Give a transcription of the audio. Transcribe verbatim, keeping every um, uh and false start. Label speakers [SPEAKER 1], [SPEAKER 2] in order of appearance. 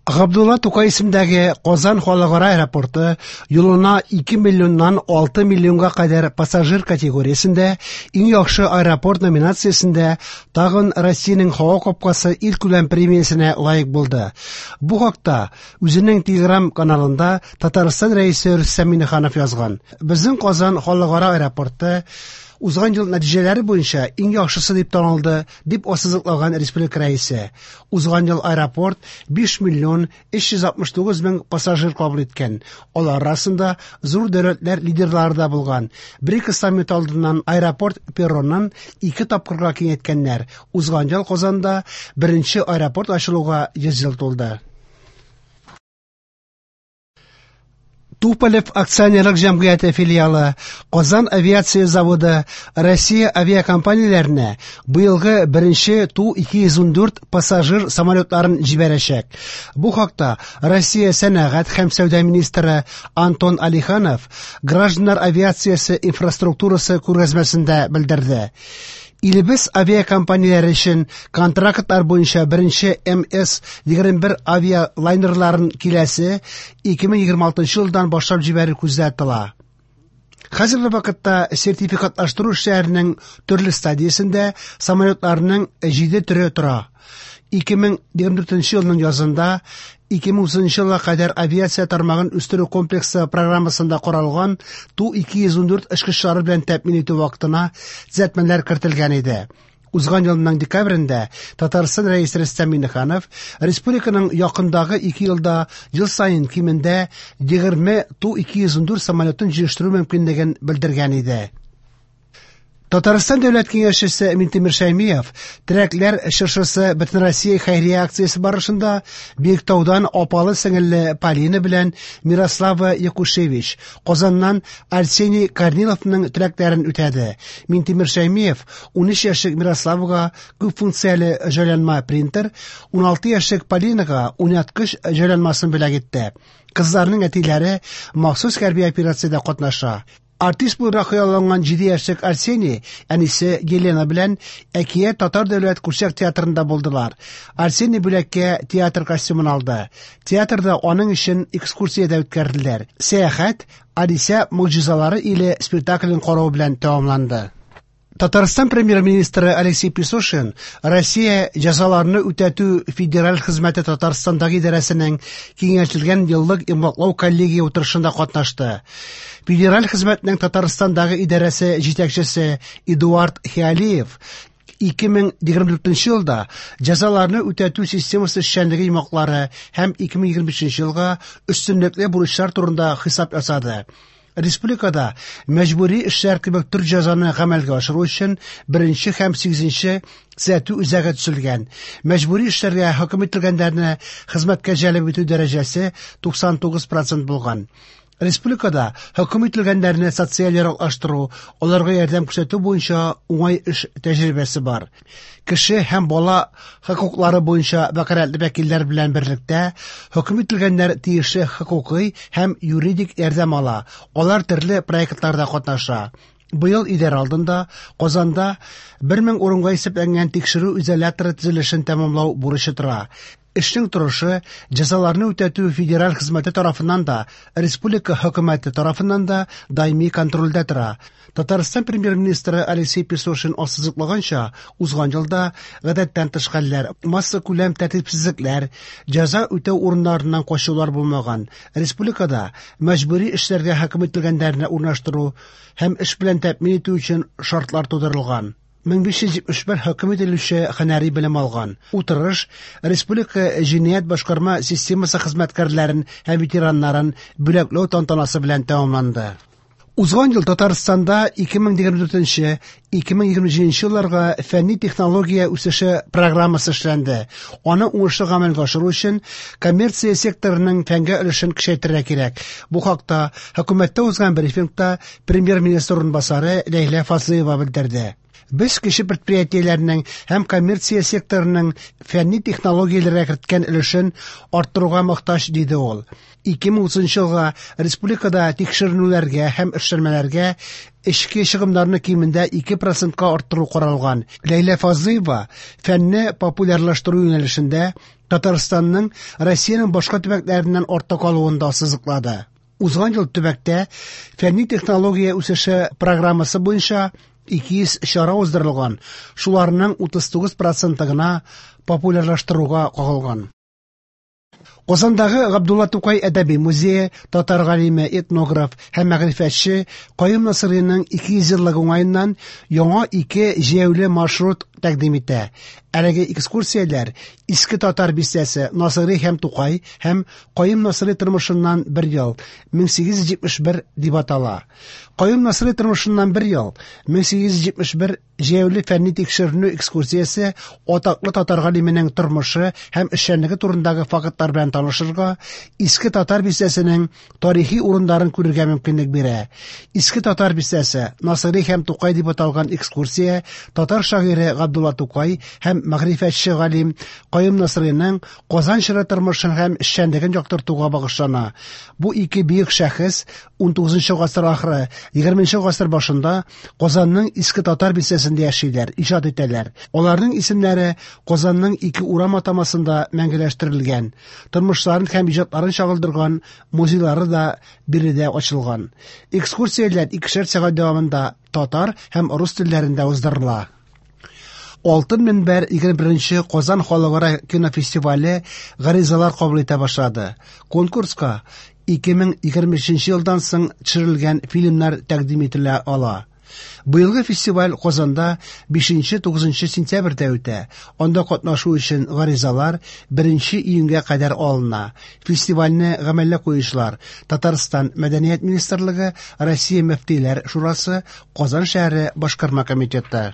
[SPEAKER 1] Габдулла Тукай исемендәге Казан халыкара аэропорты юлына ике миллионнан алты миллионга кадәр пассажир категориясендә иң яхшы аэропорт номинациясендә тагын Россиянең һава капкасы илкүләм премиясенә лаек булды. Бу хакта үзенең Telegram каналында Татарстан Рәисе Рөстәм Миңнеханов язган. Безнең Казан халыкара аэропорты узган ел нәтиҗәләре буенча иң яхшысы дип танылды, дип ассызыклаган республика рәисе. Узган ел аэропорт биш миллион өч йөз алтмыш тугыз мең пассажир кабул иткән. Алар арасында зур дәүләтләр лидерлары да булган. БРИКС саммиты алдыннан аэропорт перронын ике тапкырга киңәйткәннәр. Узган ел Казанда беренче аэропорт ачылуга йөз ел тулды. Туполев акционерлык җәмгыяте филиалы, Казан авиация заводы Россия авиакомпанияләренә быелгы беренче Ту ике йөз ун дүрт пассажир самолетларын җибәрәчәк. Бу хакта Россия сәнәгать һәм сәүдә министры Антон Алиханов гражданнар авиациясе инфраструктурасы күргәзмәсендә белдерде. Илебез авиакомпанияләре өчен контрактлар буенча беренче эм эс егерме бер авиалайнерларын киләсе ике мең егерме алтынчы елдан башлап җибәрү күздә тотыла. Хәзерге вакытта сертификатлаштыру эшләренең төрле стадиясендә самолетларның җиде төре тора. Ике мең егерме дүртенче елның язында ике мең утызынчы елга кадәр авиация тармагын үстерү комплексы программасында каралган Ту ике йөз ун дүрт очкычлары белән тәэмин итү вакытына төзәтмәләр кертелгән иде. Узган елның декабрендә Татарстан Рәисе Рөстәм Миңнеханов республиканың якындагы ике елда ел саен кимендә егерме Ту ике йөз ун дүрт самолетын җыештыру мөмкинлеген белдергән иде. Татарстан Дәүләт Киңәшчесе Минтимер Шәймиев Терәкләр чыршысы Бөтенроссия хәйрия акциясе барышында Биектаудан апалы сеңелле Полина белән Мирослава Якушевич, Казаннан Арсений Корниловның теләкләрен үтәде. Минтимер Шәймиев ун өч яшьлек Мирославага күп функцияле җайланма принтер, ун алты яшьлек Полинага уйнаткыч җайланмасын бүләк итте. Кызларның әтиләре махсус хәрби операциядә катнаша. Артист буларак хыялланган җиде яшьлек Арсений әнисе Елена белән Әкият татар дәүләт курчак театрында булдылар. Арсений бүләккә театр костюмын алды. Театрда аның өчен экскурсия дә үткәрделәр. Сәяхәт Алисә могҗизалары иле спектаклен карау белән тәмамланды. Татарстан премьер-министры Алексей Песошин Россия җәзаларны үтәтү федераль хезмәте Татарстандагы идарәсенең киңәйтелгән еллык йомгаклау коллегия утырышында катнашты. Федераль хезмәтнең Татарстандагы идарәсе җитәкчесе Эдуард Хиалиев ике мең егерме дүртенче елда җәзаларны үтәтү системасы эшчәнлеге йомгаклары һәм ике мең егерме бишенче елга өстенлекле бурычлар турында хисап ясады. Республикада мәҗбүри эшләр кебек төр җәзаны гамәлгә ашыру өчен беренче һәм сигезенче төзәтү үзәге төзелгән. Мәҗбүри эшләргә хөкем ителгәннәрне хезмәткә җәлеп итү дәрәҗәсе туксан тугыз процент булган. Республикада хөкем ителгәннәрне социаль яраклаштыру, аларга ярдәм күрсәтү буенча уңай эш тәҗрибәсе бар. Кеше һәм бала хокуклары буенча вәкаләтле вәкилләр белән берлектә хөкем ителгәннәр тиешле хокукый һәм юридик ярдәм ала. Алар төрле проектларда катнаша. Быел идарә алдында Казанда бер мең урынга исәпләнгән тикшерү изоляторы төзелешен тәмамлау бурычы тора. Эшнең торышы җәзаларны үтәтү федераль хезмәте тарафыннан да, республика хөкүмәте тарафыннан да даими контрольдә тора. Татарстан премьер-министры Алексей Песошин ассызыклаганча, узган елда гадәттән тыш хәлләр, массакүләм тәртипсезлекләр, җәза үтәү урыннарыннан качулар булмаган. Республикада мәҗбүри эшләргә хөкем ителгәннәрне урнаштыру һәм эш белән тәэмин итү өчен шартлар тудырылган. Мең биш йөз җитмеш бер хөкем ителүче һөнәри белем алган. Утырыш республика җинаять башкарма системасы хезмәткәрләрен һәм ветераннарын бүләкләү тантанасы белән тәмамланды. Узган ел Татарстанда ике мең егерме дүртенче, ике мең егерме җиденче елларга фәнни технология үсеше программасы эшләнде. Аны уңышлы гамәлгә ашыру өчен коммерция секторының фәнгә өлешен көчәйтергә кирәк. Бу хакта хөкүмәттә узган брифингта премьер-министр урынбасары Ләйлә Фазлыева белдерде. Без кече предприятиеләрнең һәм коммерция секторының фәнни технологияләргә керткән өлешен арттыруга мохтаҗ, диде ул. ике мең утызынчы елга республикада тикшеренүләргә һәм эшләнмәләргә эчке чыгымнарны кимендә ике процентка арттыру каралган. Ләйлә Фазлыева фәнне популярлаштыру юнәлешендә Татарстанның Россиянең башка төбәкләреннән артта калуын да ассызыклады. Узган ел төбәктә фәнни технология үсеше программасы буенча ике йөз чара уздырылган, шуларның утыз тугыз проценты гына популярлаштыруга кагылган. Казандагы Габдулла Тукай әдәби музее татар галиме, этнограф һәм мәгърифәтче Каюм Насыйриның ике йөз еллыгы уңаеннан яңа ике җәяүле маршрут тәкъдим итә. Әлеге экскурсияләр Иске Татар бистәсе, Насыйри һәм Тукай һәм Каюм Насыйри тормышыннан бер ел, мең сигез йөз җитмеш бер дип атала. Каюм Насыйри тормышыннан бер ел, мең сигез йөз җитмеш бер җәяүле фәнни тикшеренү экскурсиясе атаклы татар галименең тормышы һәм эшчәнлеге турындагы фактлар белән танышырга, Иске Татар бистәсенең тарихи урыннарын күрергә мөмкинлек бирә. Иске Татар бистәсе, Насыйри һәм Тукай дип аталган экскурсия татар шагыйре Габдулла Тукай һәм мәгърифәтче галим Каюм Насыйриның Казан чоры тормышын һәм эшчәнлеген яктыртуга багышлана. Бу ике бөек шәхес ун тугызынчы гасыр ахыры, егерменче гасыр башында Казанның Иске Татар бистәсендә яшиләр, иҗат итәләр. Аларның исемнәре Казанның ике урам атамасында мәңгеләштерелгән. Тормышларын һәм иҗатларын чагылдырган музейлары да биредә ачылган. Экскурсияләр икешәр сәгать дәвамында татар һәм рус телләрендә уздырыла. Алтын мөнбәр егерме беренче Казан халыкара кинофестивале гаризалар кабул итә башлады. Конкурска ике мең егерме өченче елдан соң төшерелгән фильмнар тәкъдим ителә ала. Быелгы фестиваль Казанда бишенче тугызынчы сентябрьдә үтә. Анда катнашу өчен гаризалар беренче июньгә кадәр алына. Фестивальне гамәлгә куючылар Татарстан Мәдәният министрлыгы, Россия Мөфтиләр Шурасы, Казан шәһәре башкарма комитеты.